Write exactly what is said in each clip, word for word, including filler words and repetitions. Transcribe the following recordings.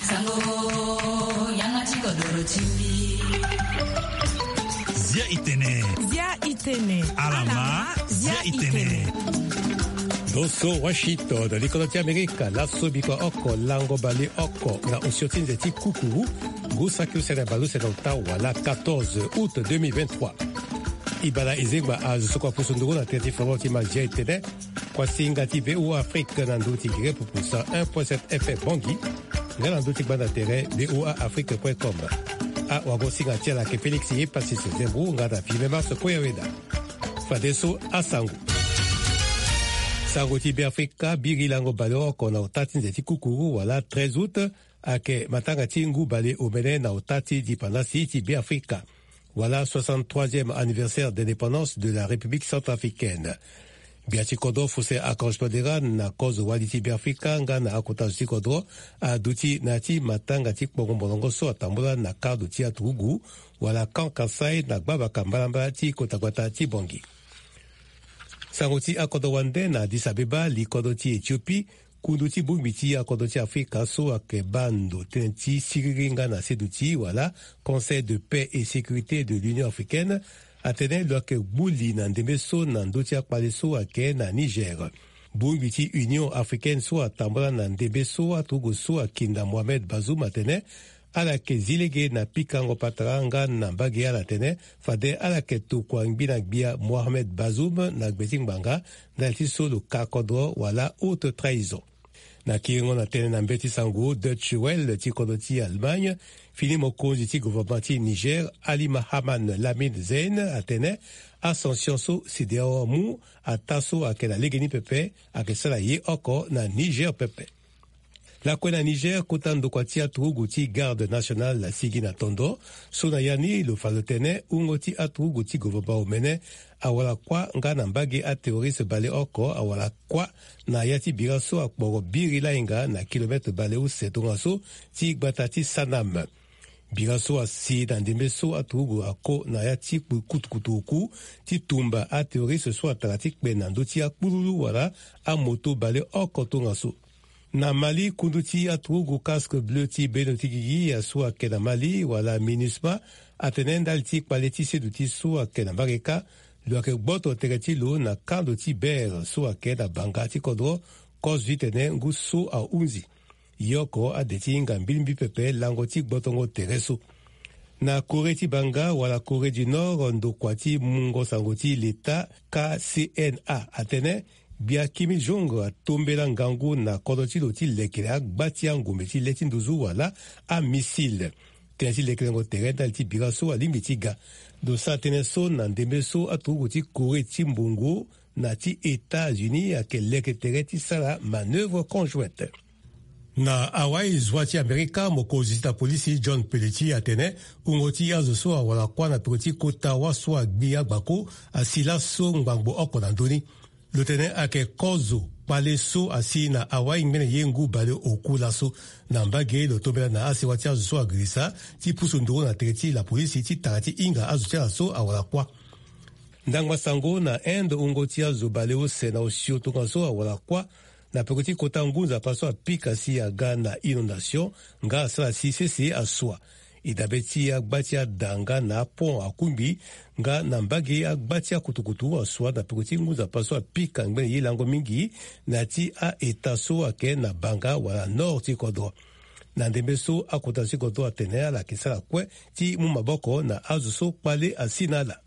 Sango, yanga ti kodoro ti mbi. Zia itene. Zia itene. Alama, zia itene. Loso Washington, likolo ti Amerika, laso bikua oko, lango bale oko, na osio ti nze ti kukuru, ngu saki use na bale use na ota wala quatorze août deux mille vingt-trois. E baa na e zengba azo so kua pusu nduru na tere ti foro ti mazia etene. Kuasinga ti V O A Afrique na nduru ti gere pupu cent un point sept F M Bangui. Nga na nduru ti gbanda tere V O A Afrique point com. Awagosinga ti ala ayeke Félix Yepassis Zembo nga na Vime Mars Koyaweda. Fadeso asango. Sango ti Beafrika, biri lango baleoko na ota ti nze ti kukuru wala treize août, ayeke matanga ti ngu baleomene na ota ti dipandasi ti Beafrika, wala soixante-troisième anniversaire d'indépendance de la République centrafricaine. Gbia ti kodro Faustin Archange Touadéra na kozo wali ti Beafrika nga na akota zo ti kodro aduti na ya ti matanga ti kpongo molongo so atambula na kando ti aturugu wala Camp Kasaï na gbabaka mbalambala ti kota gbata ti Bangui. Sango ti akodro wande na Addis Abeba, li kodro ti Éthiopie, kundu ti bongbi ti akodro ti Afrika so ayeke baa ndo tënë ti siriri nga na seduti wala Conseil de paix et sécurité de l'Union africaine atene lo yeke gbu li na ndembe so na ndö ti akpale so ayeke na Niger. Bongbi ti Union africaine so atambula na ndembe so aturugu so akinda Mohamed Bazoum atene ala yeke zi lege na pikango patara nga na mbage ala tene fade ala yeke tokua ngbi na gbia Mohamed Bazoum na gbe ti ngbanga ndali ti so lo ka kodro wala haute trahison. Na kiringo na tënë na mbeti sango, Deutsche Welle ti kodro ti Allemagne, fini mokonzi ti gouvernement ti Niger, Ali Mahaman Lamine Zein, atene asanction so CEDEAO amu ataa so ayeke na legeni pepe ayeke sara ye oko na Niger pepe. Lakue na Niger, kota ndokua ti aturugu ti Garde nationale asigi na tondo so na ya ni lo fa lo tene wungo ti aturugu ti gouvernement omene awara kuâ nga na mbage aterroriste baleoko awara kuâ na ya ti bira so akporo biri lainga na kilomètre baleuse tongaso ti gbata ti Sanam. Bira so asi na ndembe so aturugu ako na ya ti kpu kutukutu oku ti tumba aterroriste so atara ti kpe na ndö ti akpululu wala amoto baleoko tongaso. Na Mali, kundu ti aturugu Casque Bleu ti bendo ti gigi asu ayeke na Mali wala MINUSMA atene ndali ti kpale ti seduti so ayeke na mbage kâ, lo yeke gboto tere ti lo na kando ti Bere so ayeke na banga ti kodro kozo ti tene ngu so ahunzi. Ye oko ade ti hinga mbilimbi pepe lango ti gbotongo tere so. Na Corée ti banga wala Corée du Nord, ndokua ti mungo sango ti leta K C N A atene gbia Kim Jong atombela ngangu na kodro ti lo ti lekere agba ti angombe ti le ti nduzu wala amissile. Tënë ti lekerengo tere ndali ti bira so alingbi ti ga. Lo sara tënë so na ndembe so aturugu ti Corée ti mbongo na ti États-Unis ayeke leke tere ti sara manœuvre conjointe. Na Hawaï, zua ti Amerika, mokonzi ti apolisi John Peleti atene wungo ti azo so awara kuâ na peko ti kota wâ so agbi agbako asi laso ngbangbo oko na ndö ni. Lo tene ayeke kozo kpale so asi na Hawaï ngbene ye ngu baleoku laso. Na mbage lo tombela na asewa ti azo so agirisa ti pusu nduru na tere ti lapolisi ti tara ti hinga azo ti ala so awara kuâ. Ndangba sango na Inde, wungo ti azo baleuse na osio tongaso awara kuâ na peko ti kota ngu nzapa so apika si aga na inondation nga asara si sese asua. E dabe ti agba ti ada nga na apont akungbi nga na mbage agba ti akutukutu asua na peko ti ngu nzapa so apika ngbene ye lango mingi na ya ti a-État so ayeke na banga wala nord ti kodro. Na ndembe so akota ti kodro atene ala yeke sara kue ti mu maboko na azo so kpale asi na ala.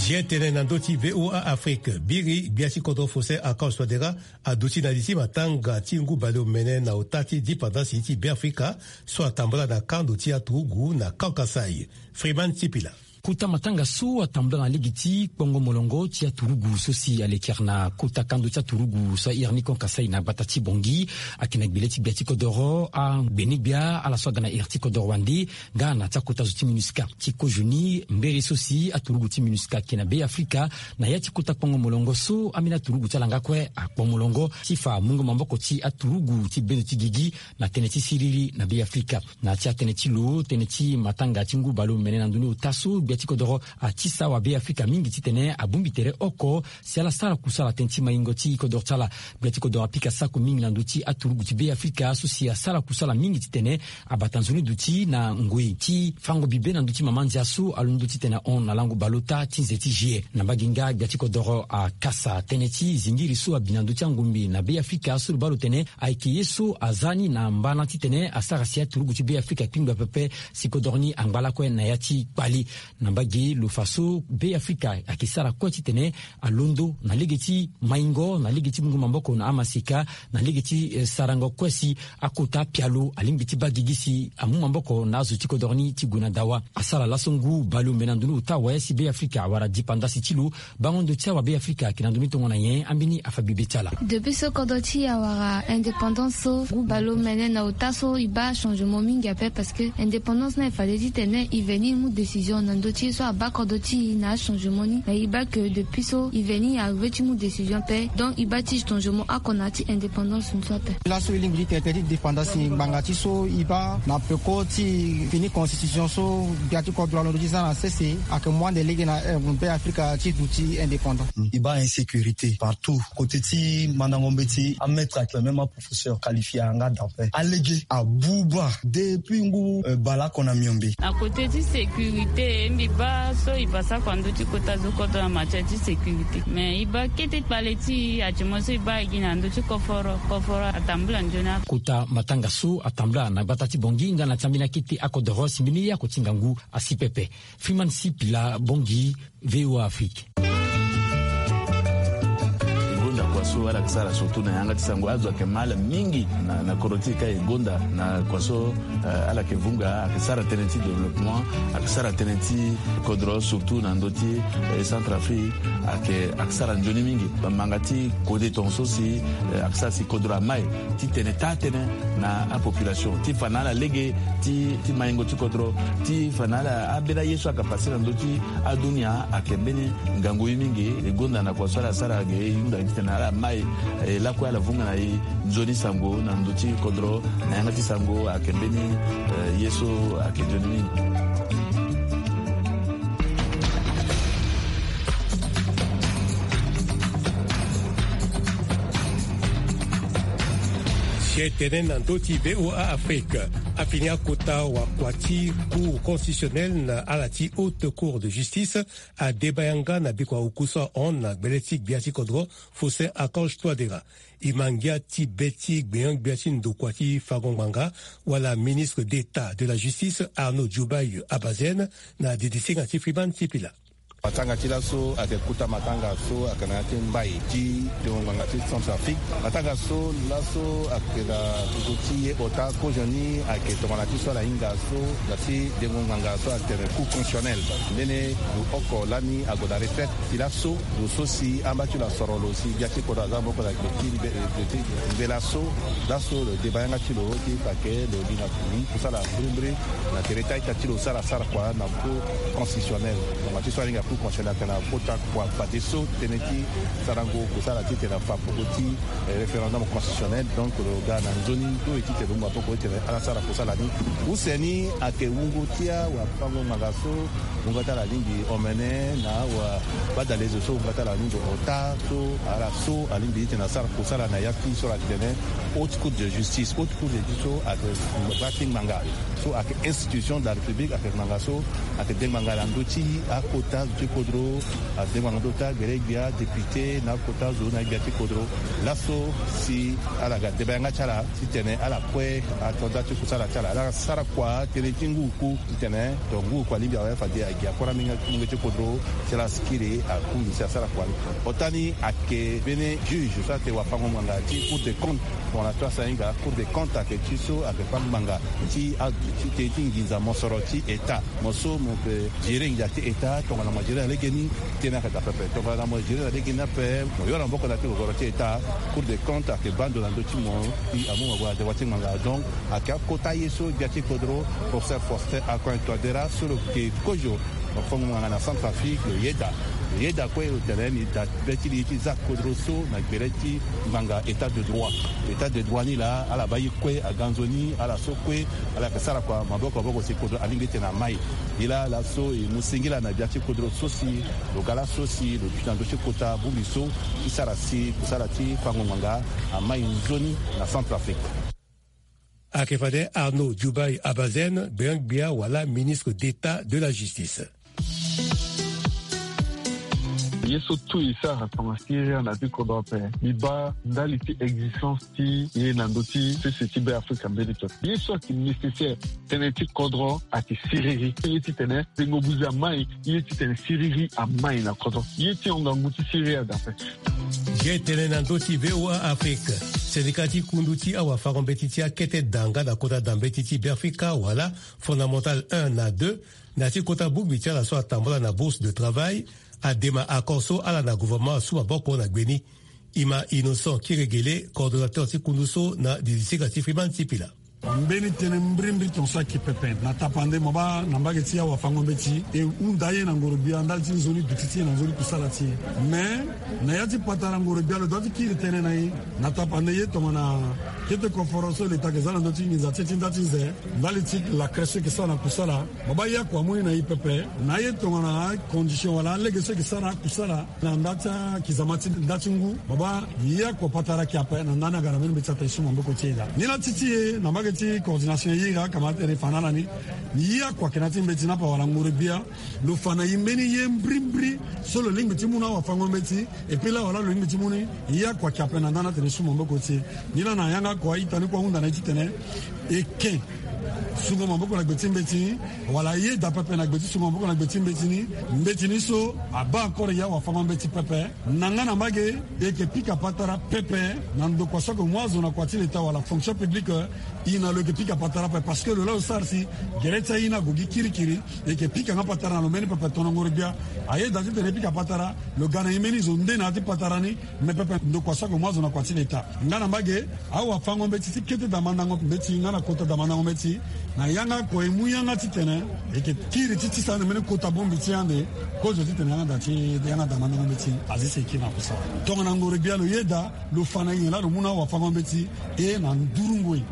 Zia tënë na ndö ti V O A Afrique, biri gbia ti kodro Faustin Archange Touadéra aduti na li ti matanga ti ngu baleomene na ota ti dipandasi ti Beafrika so atambula na kando ti aturugu na Kankasai. Freeman Tipila. Kota matanga so atambula na lege ti kpongo molongo ti aturugu so si alekere na kota kando ti aturugu so ahiri ni kon kasai na gbata ti Bongi, ayeke na gbele ti gbia ti kodoro, angbene gbia ala so aga na iri ti kodoro wande, nga na ti akota zo ti MINUSCA. Ti kozo ni mbere so si aturugu ti MINUSCA ayeke na Be Afrika, na ya ti kota kpongo molongo so ambeni aturugu ti ala nga kue akpo molongo ti fa mungo maboko ti aturugu ti bendo ti gigi na tënë ti siriri na Be Afrika. Na ya ti atënë ti lo, tënë ti matanga ti ngu baleomene na ndoni ota so gbia ti kodoro atisa wa Be Afrika mingi titene abongbi tere oko si ala sara kusala tënë ti maingo ti kodoro ti ala. Gbia ti kodoro apika sako mingi na ndö ti aturugu ti Be Afrika so si asara kusala mingi titene abata nzoni duti na ngoi ti fango bibe na ndö ti mama ndia so alondo titene ahon na lango baleota ti nze ti juillet. Na mbage nga gbia ti kodoro akasa tënë ti zingiri so abi na ndö ti angombe na Be Afrika so lo baa lo tene ayeke ye so aza ni na mbana titene asara si aturugu ti Be Afrika akpingba pepe si kodoro ni angba lakue na ya ti kpale. Na mbage lo fa so Be Afrika ayeke sara kue titene alondo na lege ti maingo, na lege ti mungo maboko na amaseka, na lege ti, eh, sarango kue si akota pialo alingbi ti baa gigi si amu maboko na azo ti kodoro ni ti gue na dawa. Asara laso ngu baleomene na ndoni ota awe si Be Afrika awara dipandasi ti lo. Bango ndo ti awa Be Afrika ayeke na ndö ni tongana nyen, ambeni afa bibe ti ala. Depuis so kodro ti e awara indépendance so, ngu baleomene na ota so e baa changement mingi ape, parce que indépendance ni e fade titene e veni e mu décision na ndö ti e so abaa kodro ti e na achangement ni. Mais e baa que depuis so e veni e arrivé ti mu décision ape, donc e baa ti changement oko na ya ti indépendance ni so ape. Laso e lingbi ti tene tënë ti dépendance ngbanga ti so e baa na peko ti fini constitution so gbia ti kodro alondo ti za na sese, ayeke mu ande lege na, eh, Be Afrika ti duti indépendant. E baa insécurité partout. Côté ti mandango mbeti, amaître ayeke même aprofesseur qualifié ayanga da ape. Alege abuba depuis ngu, eh, baleoko na miombe. Na côté ti sécurité, mbi baa so e pasa kua ndö ti kota zo kodro na matière ti sécurité. Mais e baa kete kpale ti e, actuellement so e baa e gi na ndö ti koforo, koforo atambula nzoni ape. Kota matanga so atambula na gbata ti Bongi nga na ti ambeni akete akodoro si mbeni ye ako ti ngangu asi pepe. Freeman Sipila, Bongi, V O A Afrique. E gonda kua so ala yeke sara surtout na yanga ti sango, azo ayeke ma ala mingi na, na kodro ti e ka e gonda na kua so, eh, ala yeke vunga, ayeke sara tënë ti développement, ayeke sara tënë ti kodro surtout na ndö ti, eh, Centrafrique, ayeke, ayeke sara nzoni mingi. Bamanga ti kode tongaso si, eh, ayeke sara si kodro amai ti tene taa-tënë na apopulation ti fa na ala lege ti, ti maingo ti kodro, ti fa na ala ambeni aye so ayeke pase na ndö ti adunia ayeke mbeni ngangu ye mingi. E gonda na kua so ala sara ge e hunda titene ala mai, eh, lakue ala vunga na e nzoni sango na ndö ti kodro na yanga ti sango ayeke mbeni, eh, ye so ayeke nzoni mingi. Si e tene na ndö ti V O A Afrique, afini akota wakua ti Cour constitutionnelle na ala ti Haute Cour de Justice adeba yanga na bikua oku so ahon na gbele ti gbia ti kodro Faustin Archange Touadéra. E ma ngia ti be ti gbenyo-gbia ti ndokua ti fango ngbanga wala ministre d'État de la Justice Arnaud Djoubaye Abazène na didisinga ti Freeman Sipila. Matanga ti laso ayeke kota matanga so ayeke na ya ti mbai ti dengo ngbanga ti Centrafrique. Matanga so laso ayeke na ndokua ti ye ota kozoni ayeke tongana ti so ala hinga so na ti dengo ngbanga so atene Cour constitutionnelle. Mbeni lo oko lani ague na retraite. Ti laso lo so si amba ti lo asoro lo si gbia ti kodro aza maboko na gbe ti mbe, gbe ti mbe laso. Laso lo deba yanga ti lo ti fa ke lo li na kuri kusala mbirimbiri na tere ti a-ita ti lo so ala sara kua na Cour constitutionnelle. Tongana ti so ahinga Cour constitutionnelle atene akota kua fadeso tënë ti sarango kusala titene afa peko ti, eh, référendum constitutionnel. Donc lo ga na nzoni to e titene lo mu maboko titene ala sara kusala ni. Use ni ayeke wungo ti awafango ngbanga so wungo ti ala alingbi omene na awabadalezo so wungo ti ala alingbi ota so ala so alingbi titene asara kusala na ya ti so ala tene Haute Cour de Justice. Haute Cour de Justice so ayeke gbia ti ngbanga so ayeke institution de la République, ayeke ngbanga so ayeke de ngbanga na ndö ti akota Kodro adengo na ndo ti agbele gbia député na akota zo na gbia ti kodro. Laso si ala ga deba yanga ti ala titene ala kue ato nda ti kusala ti ala ala sara kua tënë ti ngu ku titene to ngu ku alingbi awe fade agi akora mingi ti kodro ti ala sikiri akundu si asara kua ni. Ota ni ayeke mbeni juge so ate wafango ngbanga ti Cour des comptes. Tongana to asainga Cour des comptes ayeke ti so ayeke fa ngbanga ti aduti tënë ti nginza mosoro ti état. Mo so mo yeke gérer nginza ti état tongana mo gérer na legeni. Tënë ayeke daa pepe tongana mo gérer na legeni ape mo yoro na maboko na ti gogoro ti état. Cour des comptes ayeke baa ndo na ndö ti mo. Mbi amu mo gue na dewa ti ngbanga donc ayeke akota ye so gbia ti kodro. Professeur Faustin Archange Touadéra so lo yeke kozo. Lo fo ngbanga na Centrafrique lo yeda. Lo yeda kue lo tene ni daa be ti li ye ti za kodro so na gbele ti ngbanga état de droit. État de droit ni laa ala baa ye kue aga nzoni ala so kue ala yeke sara kua maboko maboko si kodro alingbi titene amai. Nilaa laso e mu singila na gbia ti kodro so si lo ga laso si lo duti na ndö ti kota bongbi so ti sara si kusala ti fango ngbanga amai nzoni na Centrafrique. Ayeke fade Arnaud Djoubaye Abazène gbengbe gbia wala ministre d'état de la justice. Ye so tout e sara tongana siriri na ti kodro ape. Mbi baa ndali ti existence ti ye na ndö ti sese ti Be Afrika mbeni pepe. Ye so ayeke nécessaire tënë ti kodro ayeke siriri. Ye titene tengo buze amai ye titene siriri amai na kodro. Ye ti honga ngu ti siriri ada ape. Ge tene na ndö ti V O A Afrique. Syndicat ti kundu ti awafango-mbeti ti akete da nga na kota da mbeti ti Be Afrika wala Fondamental un na deux, na ya ti kota bongbi ti ala so atambula na bourse de travail, adema accord so ala na gouvernement asu maboko na gbe ni. Ima Innocent Kiregele, coordonnateur ti kundu so na district ti Freeman Sipila. Mbeni tënë mbrimbri ton so ayeke pepe na tapande mo baa na mbage ti awafango-mbeti e hunda ye na ngoro-gbia ndali ti nzoni duti ti e na nzoni kusala ti e. Me na ya ti patara ngoro-gbia lo dua ti kiri tënë na e na tapande ye tongana kete koforo so leta ayeke za na ndö ti nginza ti e ti nda ti ze ndali ti lakre so e yeke sara na kusala. Mo baa ye akua amu ni na e pepe na aye tongana acondition wala alege so e yeke sara na akusala na nda ti akizama ti nda ti ngu. Mo baa ye akua patara ayeke ape na nda ni aga na mbeni mbeti ape e su maboko ti e daa. Ni laa ti ti e na mbage ti coordination e iri akama atene e fa na ala ni. Ye akua ayeke na ya ti mbeti ni ape wala ngoro-gbia lo fa na e mbeni ye mbrimbri so lo lingbi ti mu na awafango-mbeti. Epui laa wala lo lingbi ti mu ni ye akua ayeke ape na nda ni atene e su maboko ti e. Ni laa na yanga kua ita ni kue ahunda na e titene e ke sungo maboko na gbe ti mbeti ni wala ayeda pepe na gbe ti sungo maboko na gbe ti mbeti ni. Mbeti ni so abaa encore ye awafango-mbeti pepe. Na nga na mbage e yeke pika patara pepe na ndokua so ayeke mu azo na kua ti leta wala fonction publique. E na lo yeke pika patara pepe parce que lo laa lo sara si gere ti aye ni ague gi kirikiri. E yeke pika nga patara na lo mbeni pepe. Tongana ngoro-gbia ayeda titene e pika patara lo ga na e mbeni zo nde na ya ti patara ni. Me pepe ndokua so ayeke mu azo na kua ti leta nga na mbage awafango-mbeti ti kete damandango mbeti nga na kota damandango mbeti. Na yanga kua e mu yanga titene e yeke kiri ti tisa ande mbeni kota bongbi ti e ande kozo titene yanga da ti yanga damandango mbeti azi si e kiri na kusala. Tongana ngoro-gbia lo yeda lo fa na e nyen laa lo mu na awafango-mbeti e na nduru ngoi.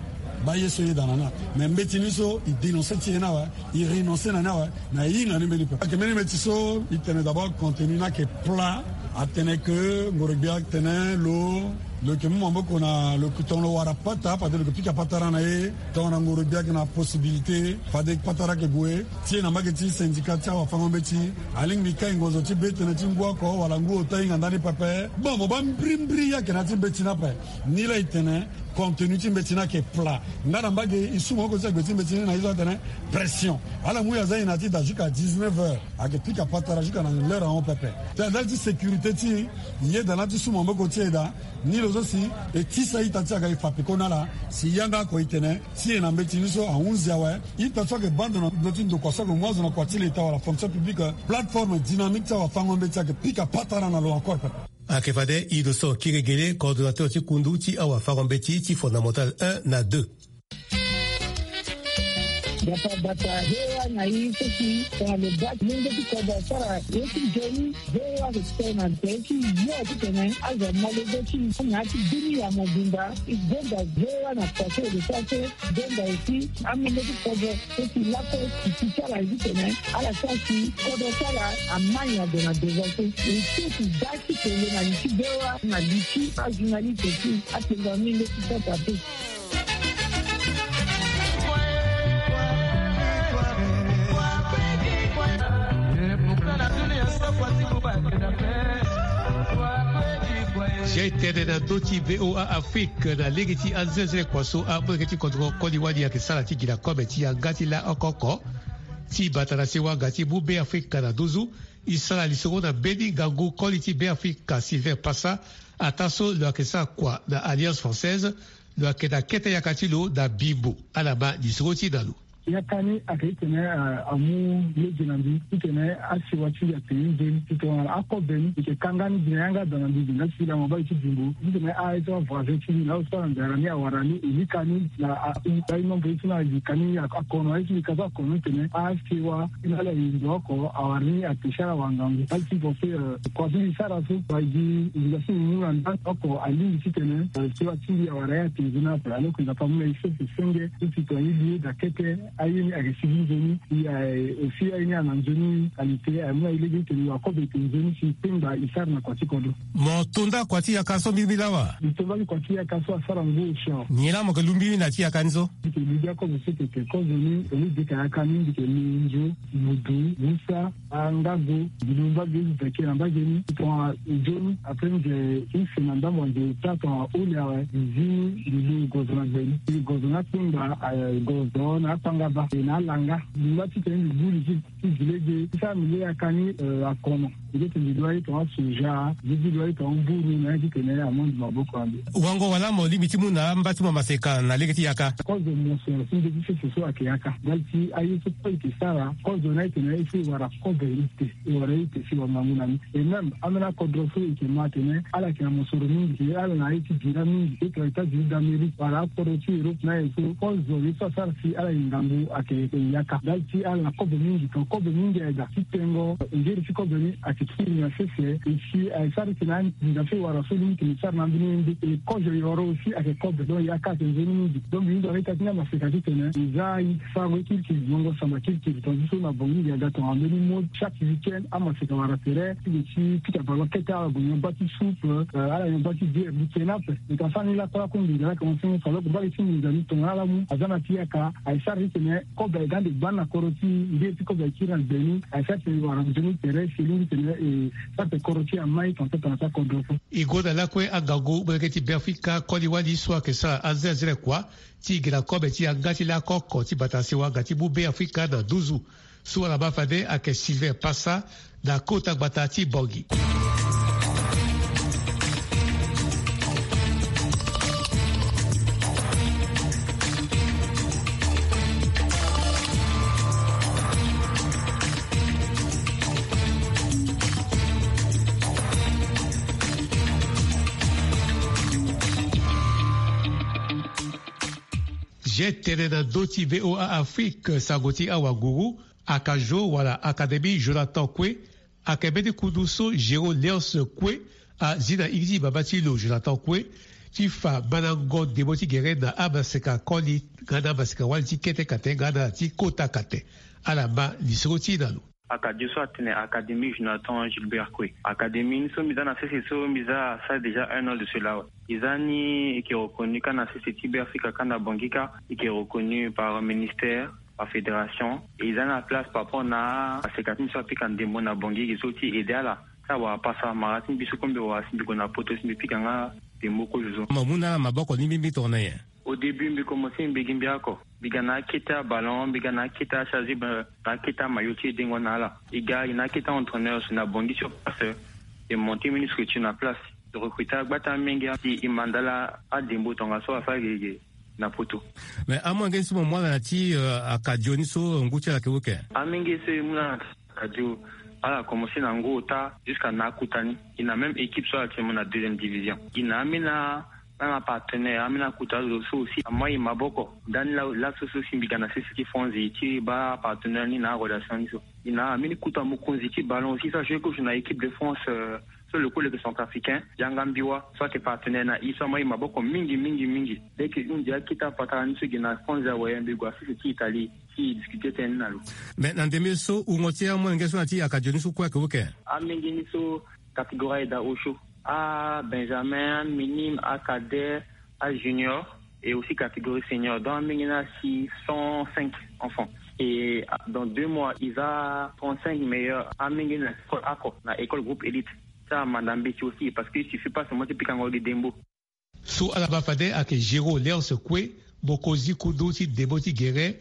Baa ye so e yeda na ni ape. Me mbeti ni so e dénoncer ti e ni awe. E renoncer na ni awe. Na e hinga ni mbeni pepe. Ayeke mbeni mbeti so e tene d'abord contenu ni ayeke plat. Atene ke ngoro-gbia atene lo lo yeke mu maboko na lo yeke tongana lo wara pata fade lo yeke pika patara na e. Tongana ngoro-gbia ayeke na possibilité fade patara ayeke gue ti e na mbage ti syndicat ti awafango-mbeti alingbi kai ngonzo ti be tënë ti ngu oko wala ngu ota hinga ndani pepe. Bon mo baa mbrimbri ye ayeke na ya ti mbeti ni ape. Ni laa e tene contenu ti mbeti ni ayeke plat. Nga na mbage e su maboko ti agbe ti mbeti ni na ye so atene pression. Ala mu e aza e na ya ti da jusqu'à dix-neuf heures. Ayeke pika patara jusqu'à na l'heure ahon pepe. Tena ndali ti sécurité ti e yeda na ti su maboko ti e daa. Ni lo so si e tisa ita ti aga e fa peko na ala si yanga oko e tene ti e na mbeti ni so ahunzi awe. Ita so ayeke baa ndo na ndö ti ndokua so ayeke mu azo na kua ti leta wala fonction publique. Plateforme dynamique ti awafango-mbeti ayeke pika patara na lo encore pepe. Ayeke fade Innocent Kiregele, coordonnateur ti kundu ti awafango-mbeti ti Fondamental un na deux. Bata bata, V O A na e so si tongana lo baa molenge ti kodro asara ye ti nzoni, V O A ayeke tene na tere ti yo titene azo amolenge ti e na ya ti bini ya mobimba. E gonda V O A na kua so e yeke sara so. Donda aussi amolenge ti kodro so si lakue ti ti ti ala ye titene ala sara si kodro ti ala amai na ndo na devant so. E so si da ti tene na li ti V O A na li ti ajournaliste ti atenga molenge ti kodro ape. Zia e tene na ndö ti VOA Afrique na lege ti anzenze kua so amolenge ti kodro koli wali ayeke sara ti gi na kobe ti yanga ti laoko oko ti bata na sewa nga ti mu Be Afrika na nduzu. E sara lisoro na mbeni ngangu koli ti Be Afrika Sylvain Passa, ataa so lo yeke sara kua na Alliance Française. Lo yeke na kete yaka ti lo na Bimbo. Ala ma lisoro ti na lo. Yaka ni ayeke titene amu lege na mbi titene asiwa ti mbi ape nzoni ti tongana akobe ni e yeke kanga ni gi na yanga daa na mbi gi nga ti lango baa ti Bimbo titene aye so avoisin ti mbi na aye so ala nzara ni awara ni e lika ni na a-u aye nombre ye so na e lika ni akono aye so e lika so akono ni tene asiwa ti na ala e ndo oko awara ni ape si ala wara ngangu. Ala ti pense kua so e sara so wa gi e lika so e mu na ndani oko alingbi titene siwa ti mbi awara ye ape nzoni ape alors que Nzapa amu na e sese senge so si tongana e li ye daa kete aye ni ayeke sigi nzoni. E aussi aye ni ana nzoni qualité aye mu na e lege titene wa kobe e pe nzoni si e pengba e sara na kua ti kodro. Mo to nda kua ti yaka so mbirimbiri lawa? E to nda ti kua ti yaka so asara ngu osio. Nyen laa mo yeke lu mbirimbiri na ya ti yaka ni so? Mbi yeke lu bia kozo so e yeke kozo ni tongana e deka yaka ni mbi yeke lu nzu, mudu, musa, angago, mbi lu mbage ti veke na mbage ni tongana nzoni. Après mbi yeke use na ndambo anze ota tongana ole awe mbi zi ni mbi lu gozo na gbe ni mbi gozo na akpengba, gozo na akpangaba e na alanga. Mbi ngba titene mbi gbu li ti ti gi lege ti sara mbi le yaka ni akono. Mbi leke mbi dua ye tongana soja mbi gi dua ye tongana mburu na ya titene amu andi maboko na mbi. Wango wala mo lingbi ti mu na amba ti mo maseka na lege ti yaka? Kozo mo so si nde ti sese so ayeke yaka ndali ti aye so kue e yeke sara kozo na e tene e so e wara kozo e ute. E wara e ute si wa ngangu na ni. Et même ambeni akodro so e yeke ma atene ala yeke na mosoro mingi si ala na ye ti bira mingi e tongana États-Unis d'Amérique wala akodro ti Europe na aye so kozo ye so asara si ala yeke ngangu ayeke yeke yaka ndali ti ala na kobe mingi tongana kobe mingi aye daa ti tengo ngeri ti kobe ni ayeke kiri na sese. E si aye sara titene anginza so e wara so lingbi tene e sara na ambeni ye nde e kozo yoro aussi ayeke kobe donc yaka ayeke nzoni mingi. Donc mbi hunda na ita ti ni amaseka titene e za aye ti farango ye kirikiri niongo samba kirikiri tonga ti so na Bangui ngia ga tongana mbeni mode chaque week-end amaseka wara tere ti gue ti pika ballon kete ala gue nyon gba ti soupe, ala nyon gba ti bière mbi ke ni ape. Mbi ka sara ni lakue lakue nginza laa ayeke mo senge so alors que mbage ti nginza ni tongana ala mu aza na ti yaka aye sara titene kobe aye ga ande gbani na kodro ti e ngeri ti kobe aye kiri na gbe ni aye sara titene e wara nzoni tere si e lingbi titene e sara titene kodro ti e amai tongana so tongana so akodro so. E gonda lakue angangu molenge ti Beafrika koli wali so ayeke sara anzenze kua ti gi na kobe ti yanga ti laoko oko ti bata sewa nga ti mu Beafrika na nduzu. So ala ma fade ayeke Sylvain Passa na kota gbata ti Bangui. Zia e tene na ndö ti VOA Afrique sango ti awanguru. Akajo wala Académie Jonathan Koué ayeke mbeni kundu so Géraud Léonce Koué azi na iri ti baba ti lo Jonathan Koué ti fa mandango ndembo ti gere na amaseka koli nga na amaseka wali ti kete kate nga na ti kota kate. Ala ma lisoro ti e na lo. Akajo so atene Académie Jonathan Gilbert Koué. Académie ni so mbi za na sese so mbi za asara déjà un an de cela awe. E za ni e yeke reconnu kâ na sese ti Beafrika kâ na Bangui kâ e yeke reconnu par ministère, par fédération. E za na place par rapport na aseka ti mbi so apika ndembo na Bangui ge so ti aide ala ti awara pasa mara ti mbi so kue mbi wara si mbi gue na poto si mbi pika nga ndembo kozo so. Mo mu na ala maboko ni mbirimbiri tongana nyen? Au début mbi commencé mbi gi mbi oko. Mbi ga na akete aballon mbi ga na akete acharge na akete amayo ti e dengo na ala. E ga e na akete aentraîneur so na Bangui sur place. E monté mbeni structure na place. E recruté agba ti amenge si e ma ndala adembo tongaso asara gege na poto. Mais amolenge so mo mu ala na ti akadio ni so ngu ti ala ayeke wu ke? Amenge so e mu na akadio ala commencé na ngu ota jusqu'à na akota ni. E na même équipe so ala ti mo na deuxième division. E na ambeni na na partenaire ambeni akota zo so aussi ama e maboko. Ndani laso so si mbi ga na sese ti fonzi ti baa partenaire ni na arelation ni so. E na ambeni kota mokonzi ti ballon aussi so ajoue coach na équipe de France. So le kue lo yeke centrafricain yanga mbiwa so ayeke partenaire na e so ama e maboko mingi mingi mingi. Leke e hunzi akete apatara ni so e gi na fonzi awe mbi gue na sese ti Italie ti e discuté tënë ni na lo. Mais na ndembe so wungo ti amolenge so na ti akadio ni so kue ayeke wu ke? Amenge ni so catégorie aye daa osio, abenjamin, aminime, acadet, ajunior, et aussi catégorie senior donc amenge ni asi cent cinq enfants. Et dans deux mois, il a trente-cinq meilleurs amenge na école ako, na école groupe élite. Ça, madame Betty aussi, parce qu'il suffit pas seulement de pikango de dembo. So ala ma fade ayeke Géraud Léonce Koué, mokonzi kundu ti ndembo ti gere.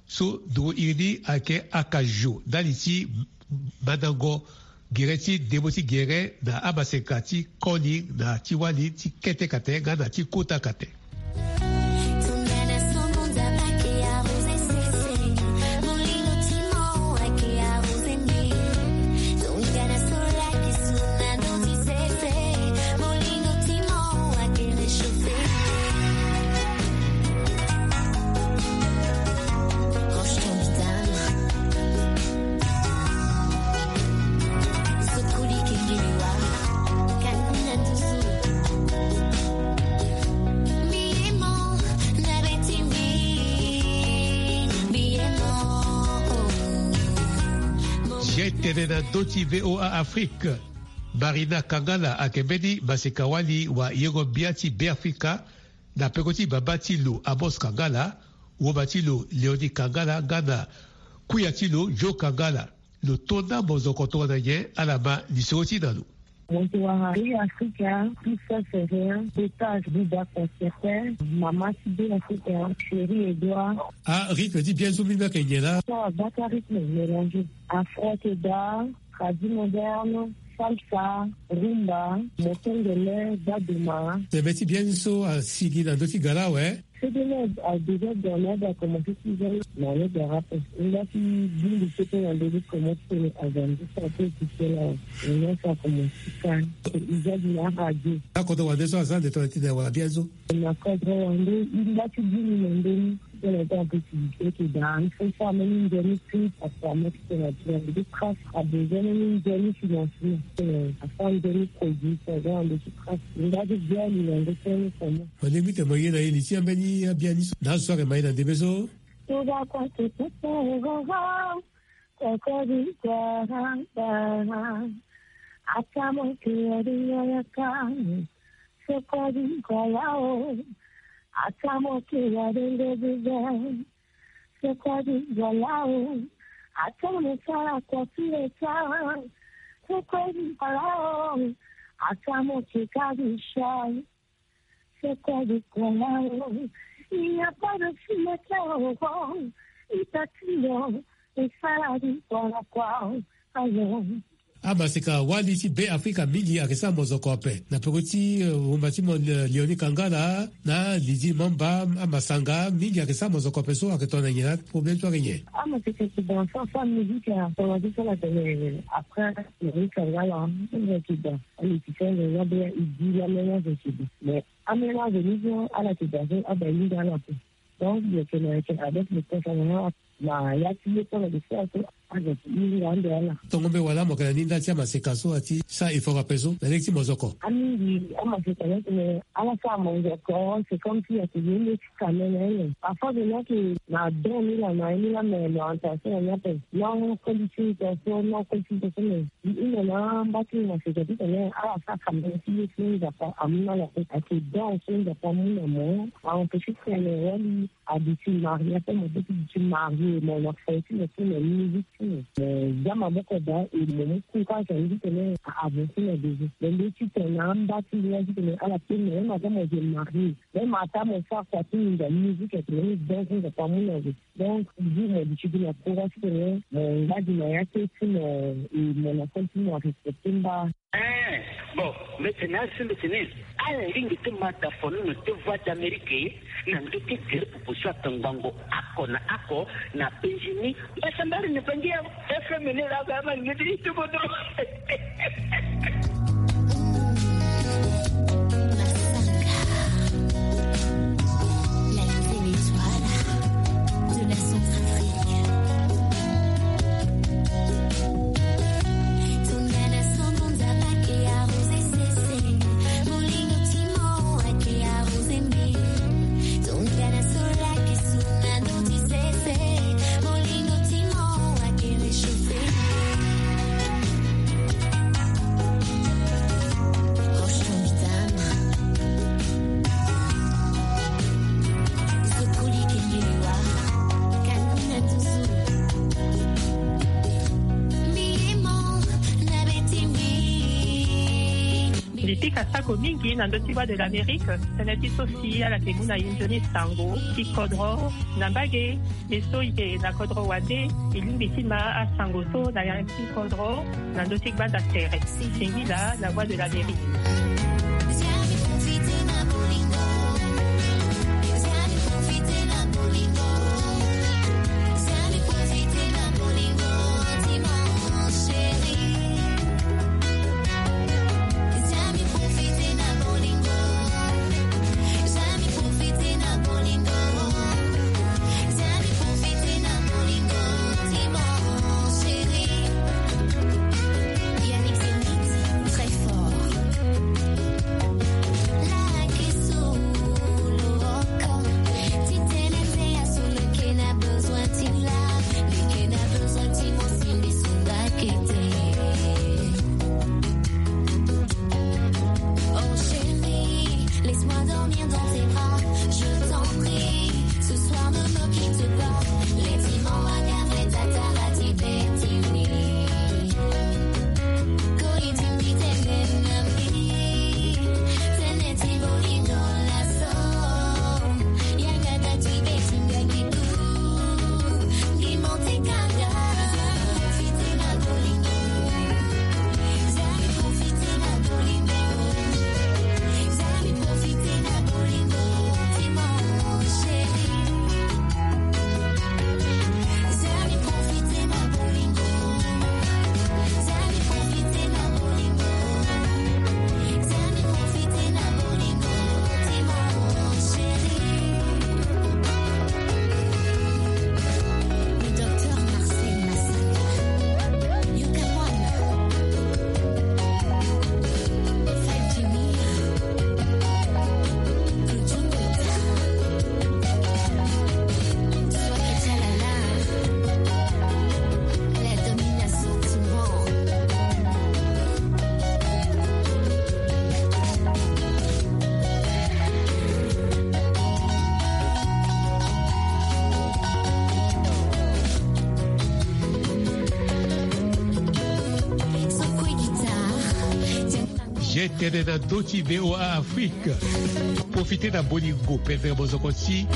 So nduru iri ni ayeke Akajo ndali ti mandango gere ti ndembo ti gere na amaseka ti koni na ti wali ti kete kate nga na ti kota kate. Zia tene na ndö ti V O A Afrique. Marina Kangala ayeke mbeni maseka-wali wa yengo-mbia ti Beafrika, na peko ti baba ti lo Amos Kangala, woma ti lo Léonie Kangala nga na kuya ti lo Joe Kangala. Lo to na mozoko tongana nyen? Ala ma lisoro ti na lo. Moto wara Beafrika, Christophe Ferrer, Beta Buba Concertin, mama ti Beafrika, Chérie Edouard. Ah, rythme ti bien so mbi mbi ayeke nyen laa? So abaka rythme mélangé. Afro keda, tradi moderne, salsa, rumba, mokengele, baduma. Tene ti bien so asigi na ndö ti gara awe. Fedele a déjà dans l'aide a commencé ti zani na l'aide a rappel. Nga ti bindi ti pe na ndö ti commencé ti tene azan ti sa pe ti sela. Nga sa commencé ti kan. Izadi na radio. Akoto wande so azan de tone ti na wala bien so. Na cadre wande, nga ti bindi na ndö ni. Tene ti activité ti da, il faut ça même une demi clip à permettre que la demi clip a besoin même une demi financement. Afin demi produit ça dans le craft. Nga ti bien ni na ndö ti ni comment. Mo lingbi tene mo ye na ye li ti ambeni abiani so na azo so ayeke ma ye na ndembe so. Tuba kwa tututu roro. Kokori kwa rambara. Atamo ke ya dinga ya kani. Sokodi kwa lao. Atamo ke ya dinga dinga. Sokodi kwa lao. Atamo sara kwa pire sa. Sokodi kwa lao. Atamo ke kabisha. Sokodi kwa lao. Il n'y a pas de cimetière au fond. Itatino. Esara di kwa kwa. Ayo. Amaseka wali ti Beafrika mingi ayeke sara mozoko ape. Na peko ti, eh, wumba ti mo, eh, Léonie Kangala, na Lydie Mamba, amasanga mingi ayeke sara mozoko ape so ayeke tongana nyen na problème so ayeke nyen? Amaseka ti dan so asara musique a tongana ti so ala tene après Léonie Kangala, ayeke dan. Amusicien ni nga be e di la mélange ti dan. Mais amélange ni so ala yeke dan so aba e hinga ala ape. Donc, yeke na yeke avec le temps, ça va. Na ya ti ye tongana de fois so azo ti hinga ande ala. Tongo mbe wala mo yeke na ni nda ti amaseka so ati sara effort ape so na lege ti mozoko. Amingi amaseka ni atene ala sara mozoko, c'est comme si ayeke ye nde ti kamene aye. Parfois de là que na don ni la na ye ni la, mais l'orientation na ni ape. Non, koli ti so, non, koli ti so, mais i hunda na mba ti maseka titene ala sara kamene ti ye ti Nzapa amu na ala ape. Ayeke don so Nzapa amu na mo. A empêcher titene wali a duti marié, ape mo be ti duti marié, mo na fo ti mo ti mo musique ti mo. Mo za maboko daa e mo mu courage na ni titene a avancer na devant. Mo be ti tene na amba ti mbi la titene ala pe mo, même aza mo je marié, même ata mo sara kua ti mo na musique, ayeke même don so Nzapa amu na zo. Donc toujours mo duti gi na courage titene mo ngba gi na ya ti ti mo, e mo na fo ti mo a respecter mba. Eh, bon, mbi tene asi mbi tene ala lingbi ti ma da fonono ti Voix d'Amérique na ndö ti gere proposition atongbango oko na oko na penzi ni. Mbasambara ni bangi ya F M ni la ba ma ngedi ti bodo. Pika sako mingi na ndö ti Voix de l'Amérique, tënë ti so si ala yeke mu na e nzoni sango ti kodro na mbage. E so e yeke na kodro wande, e lingbi ti ma asango so na ya ti kodro na ndö ti gbanda tere. Singila na Voix de l'Amérique. Ye tene na ndö ti V O A Afrique. Profite na bolingo pendere mozoko ti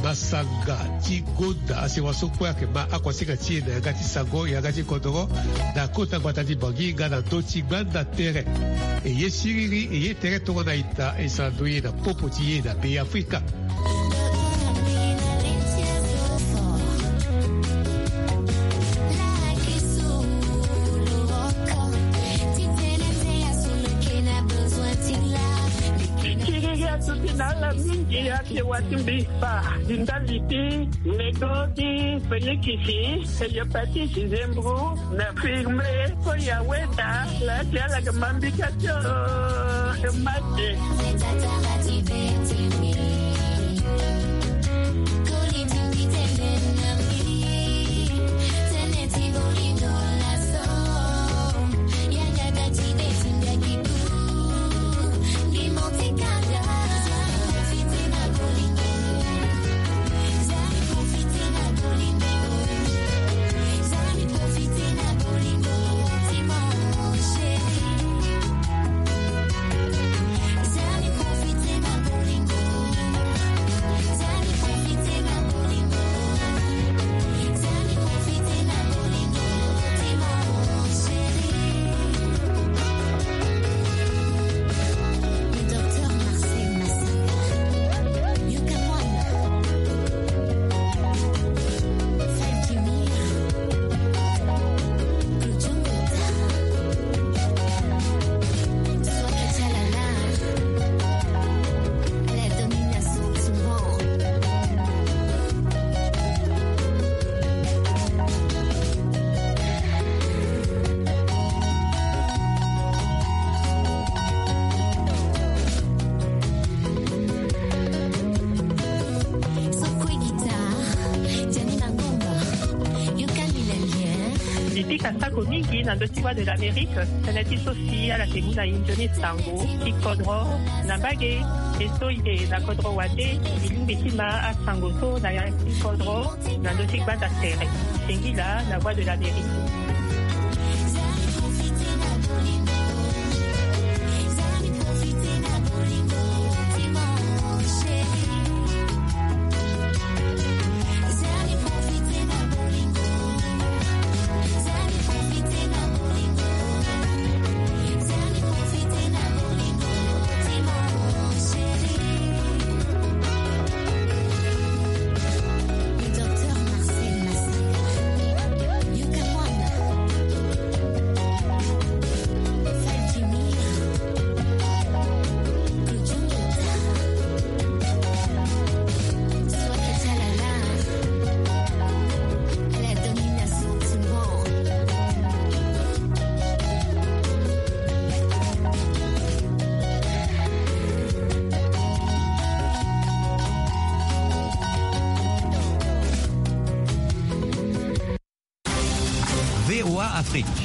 masanga ti gonda asewa so kue ayeke ma akuasinga ti e na yanga ti sango, yanga ti kodoro, na kota gbata ti Bangui nga na ndö ti gbanda tere. E ye siriri, e ye tere tongana ita, e sara ndoye na popo ti e na Beafrika. Siriri atuti na ala mingi, ake wa ti mbi fa, di ndali ti nego ti fenikisi, hepatite, zembro, na firme, ko ya weda, la ti ala ga mambika ti o, e mate. Mbi pika sako mingi na ndö ti Voix de l'Amérique, tënë ti so si ala yeke mu na e nzoni sango ti kodro na mbage. E so e yeke na kodro wande, e lingbi ti ma asango so na ya ti kodro na ndö ti gbanda tere. Singila na Voix de l'Amérique. Afrique.